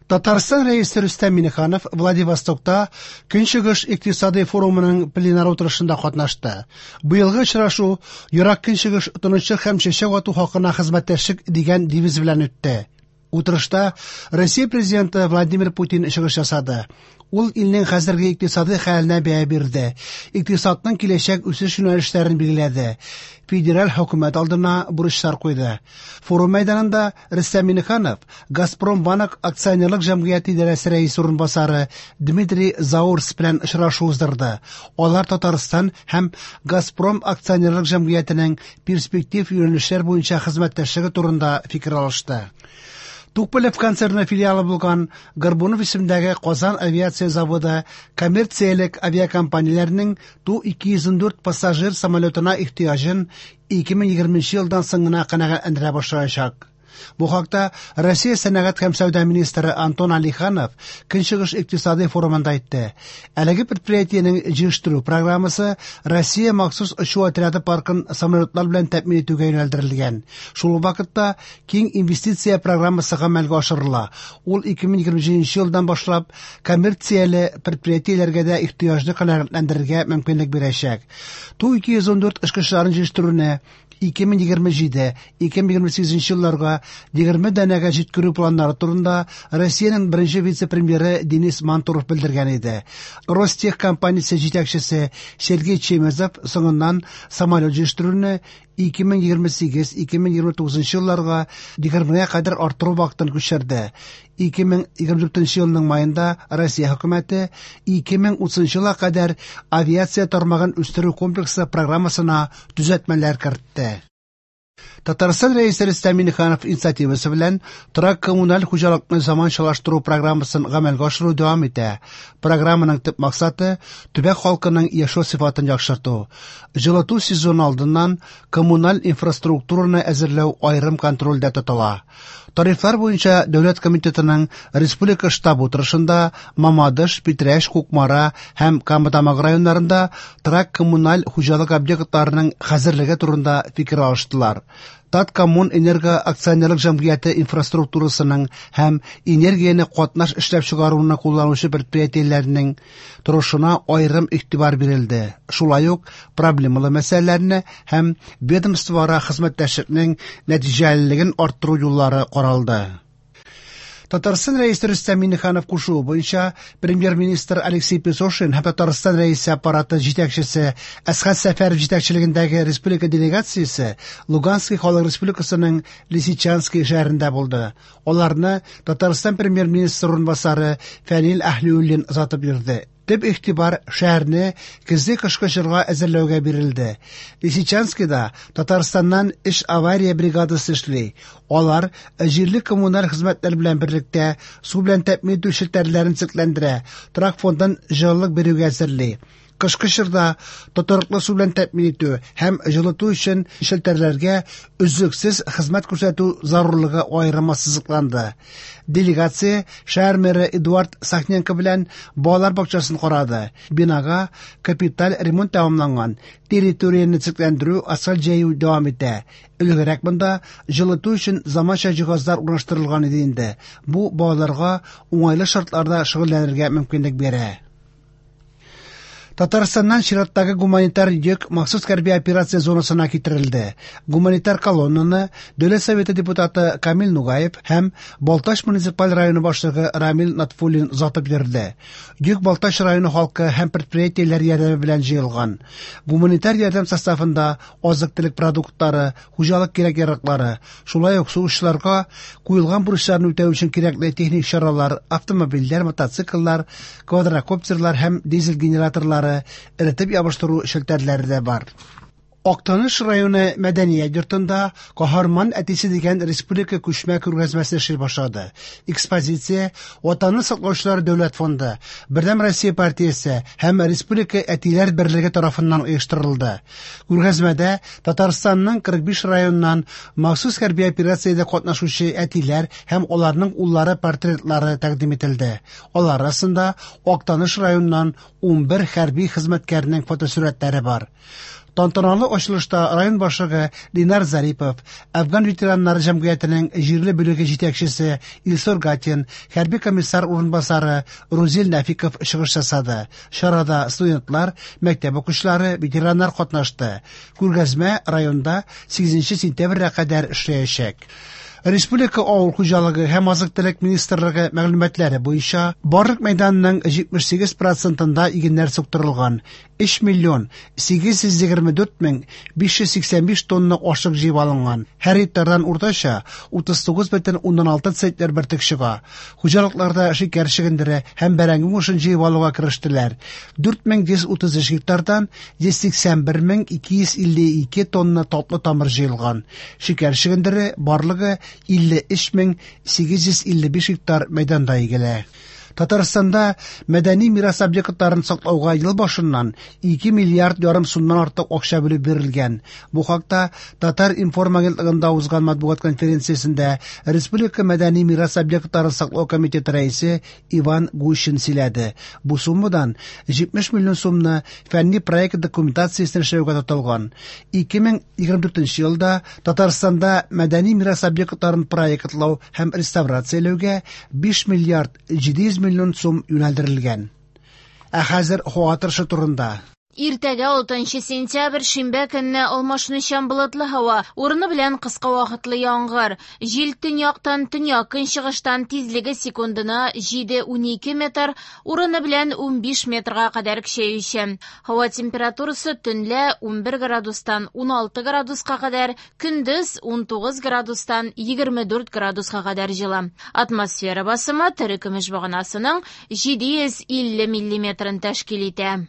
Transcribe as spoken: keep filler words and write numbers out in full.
Татарстан Рәисе Рөстәм Миңнеханов Владивостокта Көнчыгыш икътисади форумының пленар утырышында катнашты. Быелгы очрашу «Ерак Көнчыгыш тынычлык һәм чәчәк ату хакына хезмәттәшлек» дигән девиз белән үтте. Утырышта Россия Президенты Владимир Путин чыгыш ясады. Ул илнең хәзерге икътисади хәленә бәя бирде, икътисадның киләчәк үсеш юнәлешләрен билгеләде, федераль хөкүмәт алдына бурычлар куйды. Форум мәйданында Рөстәм Миңнеханов Газпромбанк акционерлык җәмгыяте идарәсе рәисе урынбасары Дмитрий Заурс белән очрашу уздырды. Алар Татарстан һәм Газпром акционерлык җәмгыятенең перспектив юнәлешләр буенча хезмәттәшлеге турында фикер алышты. Туполев концерны филиалы булган Горбунов исемендәге Казан авиация заводы коммерциялек авиакомпанияләренең Ту ике йөз ундүрт пассажир самолетына ихтыяҗын ике мең егерменче елдан соң гына канәгатьләндерә башлаячак. Бу хакта Россия сәнәгать һәм сәүдә министры Антон Алиханов Көнчыгыш икътисади форумында әйтте. Әлеге предприятиенең җыештыру программасы Россия махсус очу отряды паркын самолетлар белән тәэмин итүгә юнәлдерелгән. Шул ук вакытта киң инвестиция программасы гамәлгә ашырыла. Ул ике мең егерме җиденче елдан башлап коммерцияле предприятиеләргә дә ихтыяҗны канәгатьләндерергә мөмкинлек бирәчәк. Ту ике йөз ундүрт очкычларын җыештыруны ике мең егерме җиде, ике мең егерме сигезенче елларга егерме данәгә җиткерү планнары турында Россиянең беренче вице-премьеры Денис Мантуров белдергән иде. Ростех компаниясе җитәкчесе Сергей Чемезов соңыннан самолет җыештыруны ике мең егерме сигез, ике мең егерме тугызынчы елларга егермегә кадәр арттыру вакытын күчерде. Ике мең егерме дүртенче елның майында Россия хөкүмәте ике мең утызынчы елга кадәр авиация тармагын үстерү комплексы программасына төзәтмәләр кертте. Татарстан Рәисе Рөстәм Миңнеханов инициативасы белән торак коммуналь хуҗалыкны заманчалаштыру программасын гамәлгә ашыру дәвам итә. Программаның төп максаты төбәк халкының яшәү сыйфатын яхшырту. Җылыту сезоны алдыннан коммуналь инфраструктураны әзерләү аерым контрольдә тотыла. Тарифлар буенча Дәүләт комитетының республика штабы утырышында Мамадыш, Питрәч, Кукмара һәм Кама Тамагы районнарында торак коммуналь хуҗалык объектларының хәзерлеге турында фикер алыштылар. Таткоммунэнерго акционерлык җәмгыяте инфраструктурасының һәм энергияне катнаш эшләп чыгаруны кулланучы предприятиеләрнең торышына аерым игътибар бирелде. Шулай ук проблемалы мәсьәләләрне һәм ведомствоара хезмәттәшлекнең нәтиҗәлелеген арттыру юллары каралды. Татарстан Рәисе Рөстәм Миңнеханов кушуы буенча премьер-министр Алексей Песошин һәм Татарстан Рәисе аппараты җитәкчесе Әсхәт Сәфәров җитәкчелегендәге республика делегациясе Луганский халык республикасының Лисичанский шәһәрендә булды. Аларны Татарстан премьер-министры урынбасары Фәнил Әһлиуллин озатып йөрде. Төп игътибар шәһәрне көзге кышкы чорга әзерләүгә бирелде. Лисичанскийда Татарстаннан эш авария бригадасы эшли. Алар җирле коммуналь хезмәтләр белән берлектә су белән тәэмин итү челтәрләрен төзекләндерә, торак фондын җылылык бирүгә әзерли. Кышкы чорда тотрыклы су белән тәэмин итү һәм җылыту өчен челтәрләргә өзлексез хезмәт күрсәтү зарурлыгы аерым ассызыкланды. Делегация шәһәр мэры Эдуард Сахненко белән балалар бакчасын карады. Бинага капиталь ремонт тәмамланган, территорияне төзекләндерү, асфальт җәю дәвам итә. Элегрәк монда җылыту өчен заманча җиһазлар урнаштырылган иде инде. Бу балаларга уңайлы шартларда шөгыльләнергә мөмкинлек бирә. Татарстаннан чираттагы гуманитар йөк махсус хәрби операция зонасына китерелде. Гуманитар колоннаны Дәүләт Советы депутаты Камил Нугаев һәм Балтач муниципаль районы башлыгы Рамил Натфуллин озатып йөрде. Йөк Балтач районы халкы һәм предприятиеләр ярдәме белән җыелган. Гуманитар ярдәм составында азык-төлек продуктлары, хуҗалык кирәк-яраклары, шулай ук сугышчыларга куелган бурычларны үтәү өчен кирәкле техник чаралар, автомобильләр, мотоцикллар, квадрокоптерлар һәм дизель генераторлары, эретеп ябыштыру челтәрләре дә бар. Актаныш районы мәдәният йортында Каһарман әтисе дигән республика күчмә күргәзмәсе эшли башлады. Экспозиция Ватанны саклаучылар дәүләт фонды, Бердәм Россия партиясе һәм Республика әтиләр берлеге тарафыннан оештырылды. Күргәзмәдә Татарстанның кырык биш районыннан махсус хәрби операциядә катнашучы әтиләр һәм аларның уллары портретлары тәкъдим ителде. Алар арасында Актаныш районыннан унбер хәрби хезмәткәрнең фотосурәтләре бар. Тантаналы ачылышта район башлыгы Ленар Зарипов, Әфган ветераннары җәмгыятенең җирле бүлеге җитәкчесе Илсур Гатин, хәрби комиссар урынбасары Рузил Нәфиков чыгыш ясады. Чарада студентлар, мәктәп укучылары, ветераннар катнашты. Күргәзмә районда сигезенче сентябрьгә кадәр эшләячәк. Республика авыл хуҗалыгы һәм азык-төлек министрлыгы мәгълүматлары буенча барлык мәйданның җитмеш сигез процентында игеннәр суктырылган. Өч миллион сигез йөз егерме дүрт мең биш йөз сиксән биш тонна ашлык җыеп алынган. Һәр гектардан уртача утыз тугыз бөтен уннан алты центнер бөртек чыга. Хуҗалыкларда шикәр чөгендере һәм бәрәңге уңышын җыеп алуга керештеләр. Дүрт мең йөз утыз өч гектардан йөз сиксән бер мең ике йөз илле ике тонна татлы тамыр җыелган. Шикәр чөгендере барлыгы илле өч мең сигез йөз илле биш гектар мәйданда игелә. Татарстанда мәдәни мирас объектларын саклауга ел башыннан ике миллиард ярым сумнан артык акча бүлеп бирелгән. Бу хакта Татар информ агентлыгында узган матбугат конференциясендә Республика мәдәни мирас объектларын саклау комитеты рәисе Иван Гущин сөйләде. Бу суммадан җитмеш миллион сумны фәнни проект документациясен эшләүгә тотылган. Ике мең егерме дүртенче елда Татарстанда мәдәни мирас объектларын проектлау һәм реставрацияләүгә биш миллиард җиде йөз миллион сум юнәлдерелгән. Ә хәзер һава торышы турында. Иртәгә алтынчы сентябрь шимбә көнне алмашынучан болытлы һава, урыны белән кыска вакытлы яңгыр. Җил төньяктан төньяк көнчыгыштан тизлеге секундына җиде унике метр, урыны белән унбиш метрга кадәр көчәюче. Һава температурасы төнлә унбер градустан уналты градуска кадәр, көндез унтугыз градустан егерме дүрт градуска кадәр җылы. Атмосфера басымы терекөмеш баганасының җиде йөз илле миллиметрын тәшкил итә.